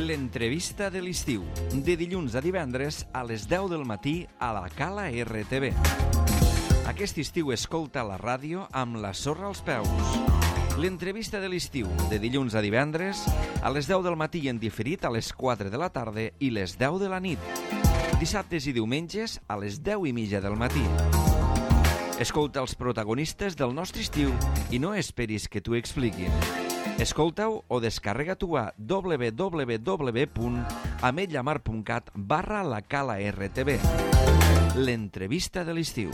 L'entrevista de l'estiu, de dilluns a divendres a les 10 del matí a la Cala RTV. Aquest estiu escolta la ràdio amb la sorra als peus. L'entrevista de l'estiu, de dilluns a divendres a les 10 del matí i en diferit a les 4 de la tarda i les 10 de la nit. Dissabtes i diumenges a les 10:30 del matí. Escolta els protagonistes del nostre estiu i no esperis que t'ho expliquin. Escolta-ho o descarrega-t'ho a www.ametlamar.cat/la Cala RTV. L'entrevista de l'estiu.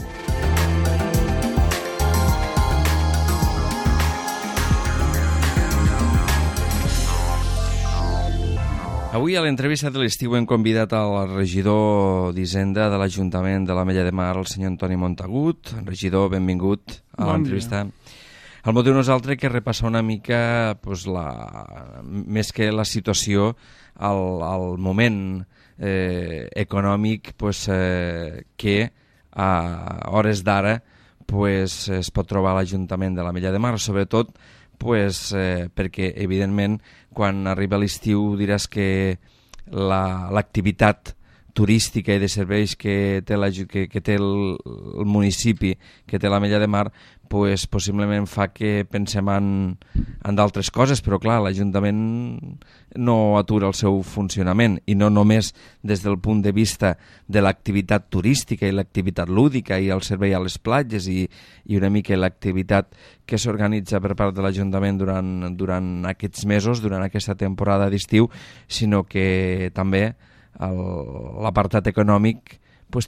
Avui a l'entrevista de l'estiu hem convidat al regidor d'Hisenda de l'Ajuntament de l'Ametlla de Mar, el senyor Antoni Montagut. Regidor, benvingut a l'entrevista. El motiu no és altre que repassar una mica més que la situació al moment econòmic que a hores d'ara es pot trobar a l'Ajuntament de l'Ametlla de Mar, sobretot perquè, evidentment, quan arriba l'estiu diràs que l'activitat turística i de serveis que té el municipi, que té l'Ametlla de Mar, possiblement fa que pensem en d'altres coses, però clar, l'Ajuntament no atura el seu funcionament, i no només des del punt de vista de l'activitat turística i l'activitat lúdica i el servei a les platges i una mica l'activitat que s'organitza per part de l'Ajuntament durant aquests mesos, durant aquesta temporada d'estiu, sinó que també l'apartat econòmic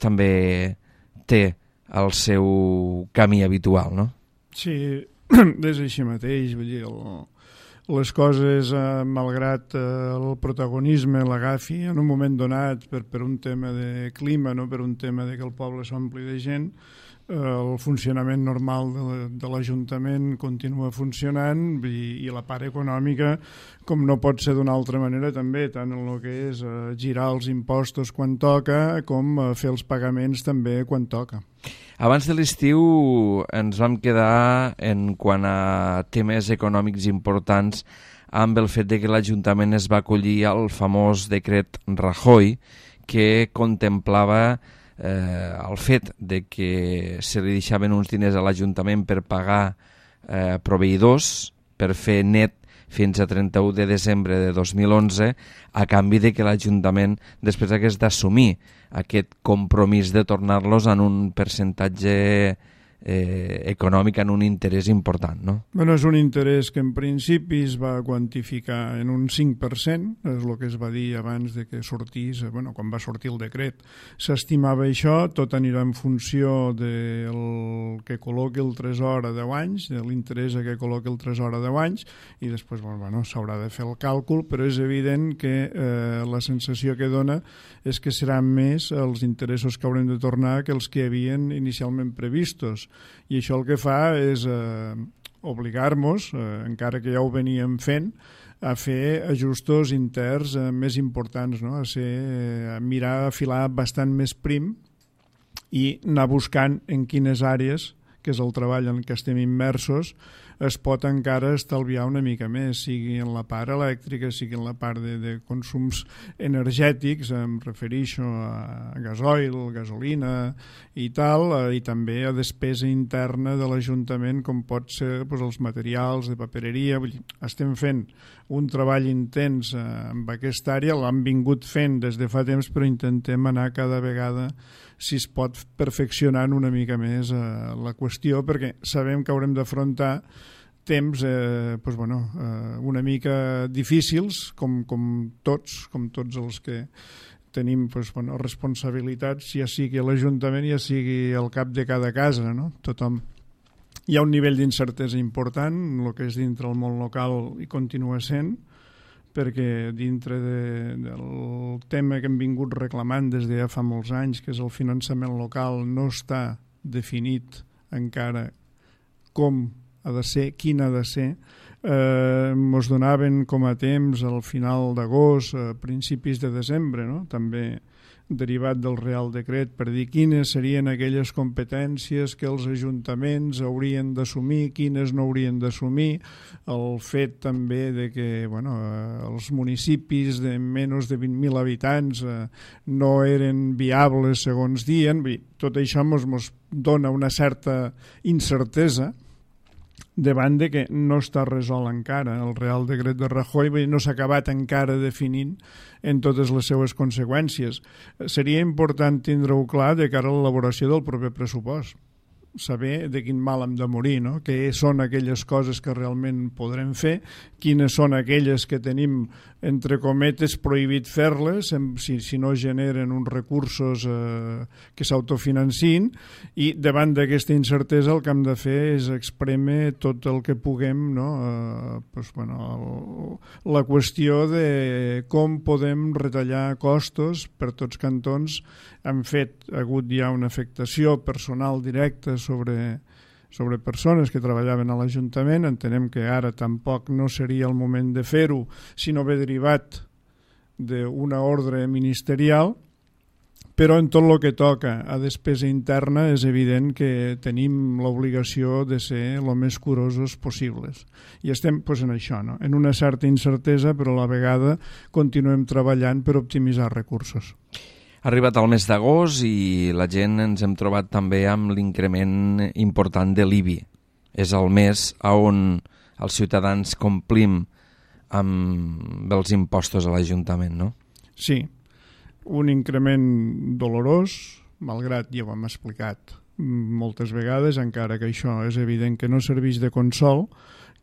també té el seu camí habitual, no? Sí, és així mateix, vull dir, les coses, malgrat el protagonisme l'agafi en un moment donat per un tema de clima, no? Per un tema de que el poble s'ompli de gent, el funcionament normal de l'Ajuntament continua funcionant i la part econòmica, com no pot ser d'una altra manera també, tant en el que és girar els impostos quan toca com fer els pagaments també quan toca. Abans de l'estiu ens vam quedar en quant a temes econòmics importants amb el fet de que l'Ajuntament es va acollir al famós decret Rajoy que contemplava el fet de que se li deixaven uns diners a l'Ajuntament per pagar proveïdors, per fer net fins a 31 de desembre de 2011, a canvi de que l'Ajuntament després hagués d'assumir aquest compromís de tornar-los en un percentatge econòmic, en un interès important, no? Bueno, és un interès que en principi es va quantificar en un 5%, és el que es va dir abans de que sortís, quan va sortir el decret. S'estimava això, tot anirà en funció del que col·loqui el Tresor a 10 anys, de l'interès que col·loqui el Tresor a 10 anys, i després s'haurà de fer el càlcul, però és evident que la sensació que dona és que seran més els interessos que haurem de tornar que els que havien inicialment previstos. I això el que fa és obligar-nos, encara que ja ho veníem fent, a fer ajustos interns més importants, no? A mirar a filar bastant més prim i anar buscant en quines àrees, que és el treball en què estem immersos, es pot encara estalviar una mica més, sigui en la part elèctrica, sigui en la part de consums energètics, em refereixo a gasoil, gasolina i tal, i també a despesa interna de l'Ajuntament, com pot ser els materials de papereria. Vull dir, estem fent un treball intens en aquesta àrea, l'hem vingut fent des de fa temps, però intentem anar cada vegada, si es pot, perfeccionant una mica més la qüestió, perquè sabem que haurem d'afrontar temps una mica difícils, com tots els que tenim responsabilitats, ja sigui l'Ajuntament, ja sigui el cap de cada casa, no? Tothom. Hi ha un nivell d'incertesa important, el que és dintre el món local i continua sent, perquè dintre del tema que hem vingut reclamant des de ja fa molts anys, que és el finançament local, no està definit encara com ha de ser, quin ha de ser. Ens donaven com a temps al final d'agost, a principis de desembre, no? També derivat del Real Decret, per dir quines serien aquelles competències que els ajuntaments haurien d'assumir, quines no haurien d'assumir, el fet també de que els municipis de menys de 20.000 habitants no eren viables segons diuen. Tot això ens dona una certa incertesa davant de que no està resolt encara el Real Decret de Rajoy, no s'ha acabat encara definint en totes les seues conseqüències. Seria important tindre-ho clar de cara a l'elaboració del proper pressupost, saber de quin mal hem de morir, no? Què són aquelles coses que realment podrem fer, quines són aquelles que tenim, entre cometes, prohibit fer-les si no generen uns recursos que s'autofinancin, i davant d'aquesta incertesa el que hem de fer és exprémer tot el que puguem, no? La qüestió de com podem retallar costos per tots cantons. Ha hagut ja una afectació personal directa sobre persones que treballaven a l'Ajuntament. Entenem que ara tampoc no seria el moment de fer-ho, sinó haver derivat d'una ordre ministerial, però en tot el que toca a despesa interna és evident que tenim l'obligació de ser el més curosos possibles. I estem en això, no? En una certa incertesa, però a la vegada continuem treballant per optimitzar recursos. Ha arribat el mes d'agost i la gent ens hem trobat també amb l'increment important de l'IBI. És el mes on els ciutadans complim amb els impostos a l'Ajuntament, no? Sí, un increment dolorós, malgrat ja ho hem explicat moltes vegades, encara que això és evident que no serveix de consol,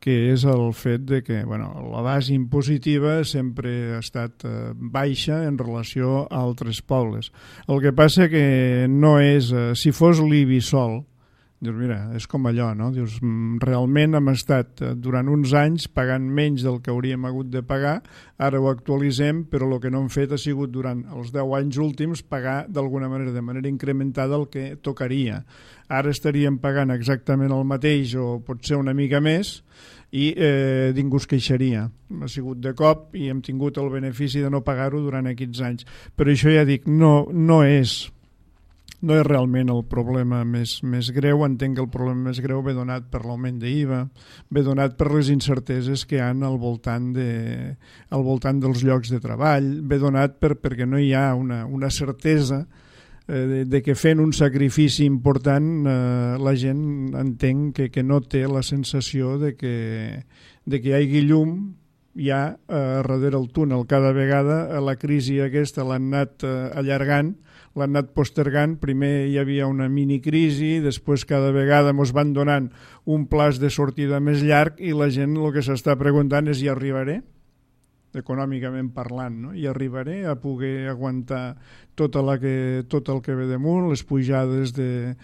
que és el fet de que la base impositiva sempre ha estat baixa en relació a altres pobles. El que passa que no és... Si fos l'IBI sol, dius, mira, és com allò, no? Dius, realment hem estat durant uns anys pagant menys del que hauríem hagut de pagar, ara ho actualitzem, però el que no hem fet ha sigut durant els 10 anys últims pagar d'alguna manera, de manera incrementada, el que tocaria. Ara estaríem pagant exactament el mateix o potser una mica més, i ningú es queixaria. Ha sigut de cop i hem tingut el benefici de no pagar-ho durant aquests anys. Però això ja dic, no és realment el problema més greu. Entenc que el problema més greu ve donat per l'augment d'IVA, ve donat per les incerteses que hi ha al voltant dels llocs de treball, ve donat perquè no hi ha una certesa de que fent un sacrifici important la gent entenc que no té la sensació de que hi hagi llum ja darrere el túnel. Cada vegada la crisi aquesta l'han anat allargant, l'han anat postergant. Primer hi havia una minicrisi, després cada vegada ens van donant un plaç de sortida més llarg i la gent el que s'està preguntant és: hi arribaré? Econòmicament parlant, no? I arribaré a poder aguantar tot el que ve damunt, les pujades de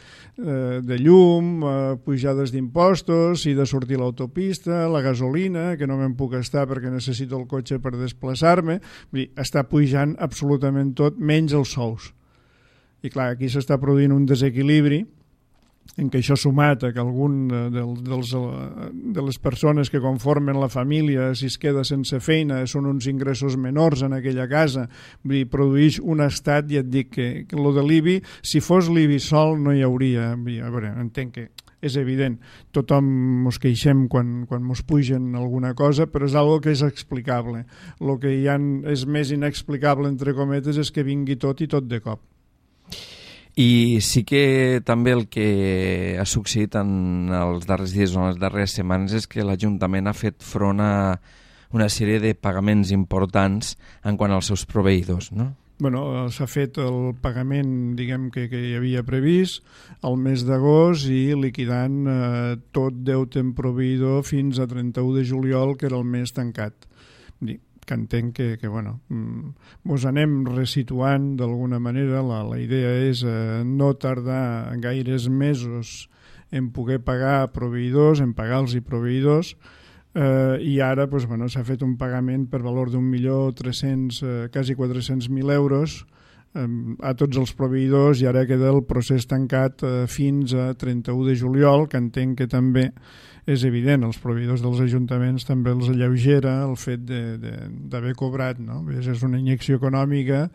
llum, pujades d'impostos, si de sortir l'autopista, la gasolina, que no me'n puc estar perquè necessito el cotxe per desplaçar-me. Està pujant absolutament tot, menys els sous. I clar, aquí s'està produint un desequilibri en què això sumat a que algun de les persones que conformen la família, si es queda sense feina, són uns ingressos menors en aquella casa, produeix un estat. I et dic que el de l'IBI, si fos l'IBI sol no hi hauria. A veure, entenc que és evident, tothom ens queixem quan ens pugen alguna cosa, però és algo que és explicable. El que és més inexplicable, entre cometes, és que vingui tot i tot de cop. I sí que també el que ha succeït en els darrers dies o en les darreres setmanes és que l'Ajuntament ha fet front a una sèrie de pagaments importants en quant als seus proveïdors, no? S'ha fet el pagament, diguem, que hi havia previst al mes d'agost i liquidant tot deute en proveïdor fins a 31 de juliol, que era el mes tancat. Que entenc que ens anem resituant d'alguna manera. La idea és no tardar gaires mesos en poder pagar proveïdors, en pagar-los i proveïdors, i ara s'ha fet un pagament per valor d'1.300.000, quasi 400.000 euros a tots els proveïdors, i ara queda el procés tancat fins a 31 de juliol, que entenc que també és evident, els proveïdors dels ajuntaments també els alleugera el fet d'haver cobrat, no? És una injecció econòmica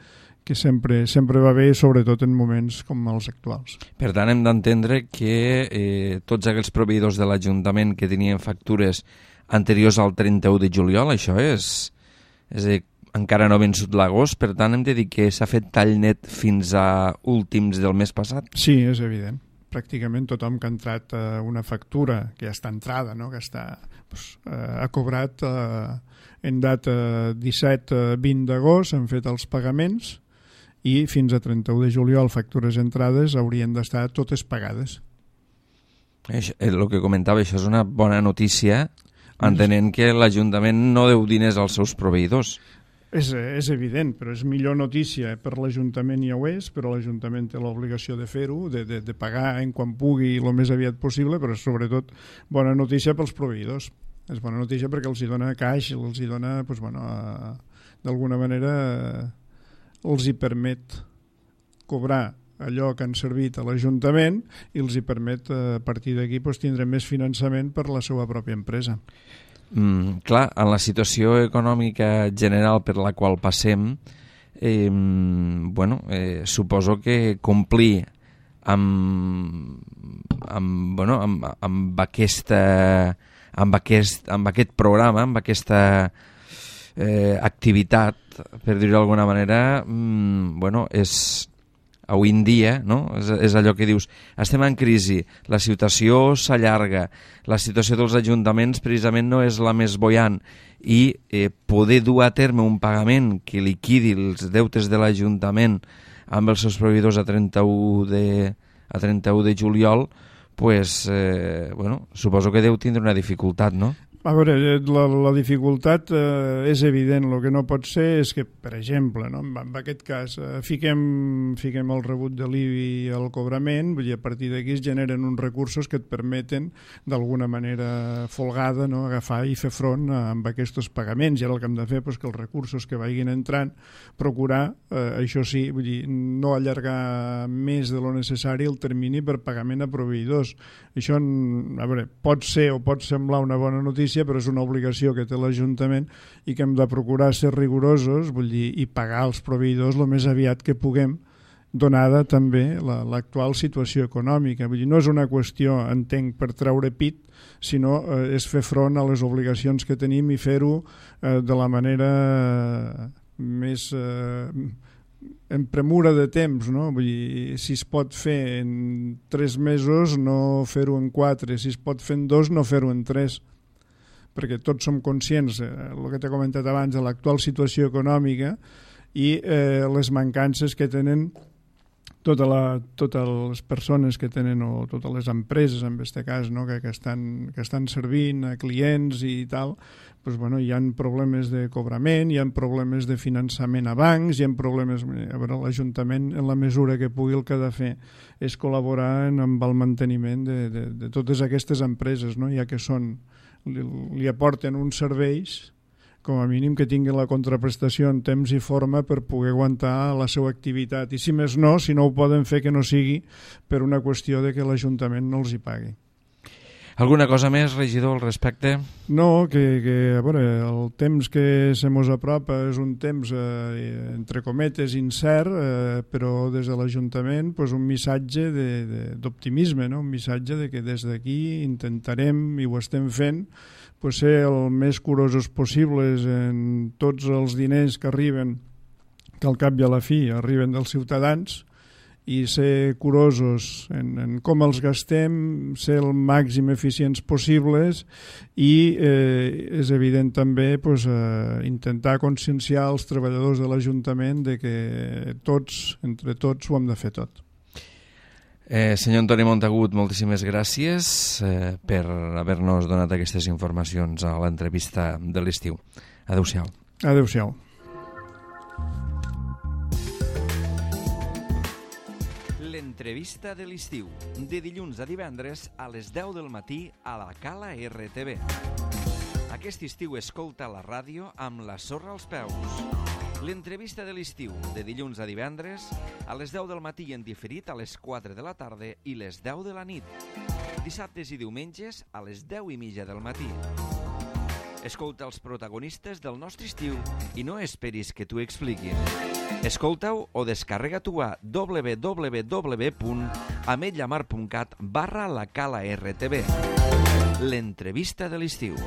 que sempre va bé, sobretot en moments com els actuals. Per tant, hem d'entendre que tots aquells proveïdors de l'Ajuntament que tenien factures anteriors al 31 de juliol, això és a dir, encara no ha vençut l'agost, per tant hem de dir que s'ha fet tall net fins a últims del mes passat? Sí, és evident. Pràcticament tothom que ha entrat una factura, que ja està entrada, no? Que ha cobrat en data 17-20 d'agost, han fet els pagaments i fins a 31 de juliol factures entrades haurien d'estar totes pagades. El que comentava, això és una bona notícia, entenent que l'Ajuntament no deu diners als seus proveïdors. És evident, però és millor notícia per l'Ajuntament, ja ho és, però l'Ajuntament té l'obligació de fer-ho, de pagar en quan pugui el més aviat possible, però sobretot bona notícia pels proveïdors. És bona notícia perquè els hi dona caix, els hi dona, d'alguna manera, els hi permet cobrar allò que han servit a l'Ajuntament i els hi permet, a partir d'aquí, tindre més finançament per la seva pròpia empresa. Clar, en la situació econòmica general per la qual passem, suposo que complir amb aquest programa, amb aquesta activitat, per dir-ho d'alguna manera, és avui en dia, no? És allò que dius, estem en crisi, la situació s'allarga, la situació dels ajuntaments precisament no és la més buoyant i poder dur a terme un pagament que liquidi els deutes de l'Ajuntament amb els seus proveïdors a 31 de juliol, suposo que deu tindre una dificultat, no? A veure, la dificultat és evident. El que no pot ser és que, per exemple, no, en aquest cas, fiquem el rebut de l'IBI al cobrament, vull dir, a partir d'aquí es generen uns recursos que et permeten, d'alguna manera folgada, no, agafar i fer front amb aquests pagaments. I ara el que hem de fer és que els recursos que vagin entrant, procurar, això sí, vull dir, no allargar més de lo necessari el termini per pagament a proveïdors. Això, a veure, pot ser o pot semblar una bona notícia, però és una obligació que té l'Ajuntament i que hem de procurar ser rigorosos, vull dir, i pagar els proveïdors el més aviat que puguem, donada també l'actual situació econòmica. Vull dir, no és una qüestió, entenc, per treure pit, sinó és fer front a les obligacions que tenim i fer-ho de la manera més en premura de temps, no? Vull dir, si es pot fer en 3 mesos, no fer-ho en 4, si es pot fer en 2, no fer-ho en 3, perquè tots som conscients, el que t'he comentat abans, de l'actual situació econòmica i les mancances que tenen totes les persones que tenen, o totes les empreses, en aquest cas, no? que estan servint a clients i tal, hi ha problemes de cobrament, hi ha problemes de finançament a bancs, hi ha problemes... A veure, l'Ajuntament, en la mesura que pugui, el que ha de fer és col·laborar amb el manteniment de totes aquestes empreses, no? Ja que li aporten uns serveis, com a mínim que tinguin la contraprestació en temps i forma per poder aguantar la seva activitat. I si més no, si no ho poden fer, que no sigui per una qüestió de que l'Ajuntament no els hi pagui. Alguna cosa més, regidor, al respecte? No, que a veure, el temps que se mos apropa és un temps, entre cometes, incert, però des de l'Ajuntament un missatge d'optimisme, no? Un missatge de que des d'aquí intentarem, i ho estem fent, ser el més curosos possibles en tots els diners que arriben, que al cap i a la fi arriben dels ciutadans, i ser curosos en com els gastem, ser el màxim eficients possibles i és evident també intentar conscienciar els treballadors de l'Ajuntament de que entre tots ho hem de fer tot. Senyor Antoni Montagut, moltíssimes gràcies per haver-nos donat aquestes informacions a l'entrevista de l'estiu. Adéu-siau. Adéu-siau. L'entrevista de l'estiu, de dilluns a divendres a les 10 del matí a la Cala RTV. Aquest estiu escolta la ràdio amb la sorra als peus. L'entrevista de l'estiu, de dilluns a divendres, a les 10 del matí en diferit a les 4 de la tarda i les 10 de la nit. Dissabtes i diumenges a les 10:30 del matí. Escolta els protagonistes del nostre estiu i no esperis que t'ho expliquin. Escolta-ho o descarrega-t'ho a www.ametlllamar.cat/lacala-rtb. L'entrevista de l'estiu.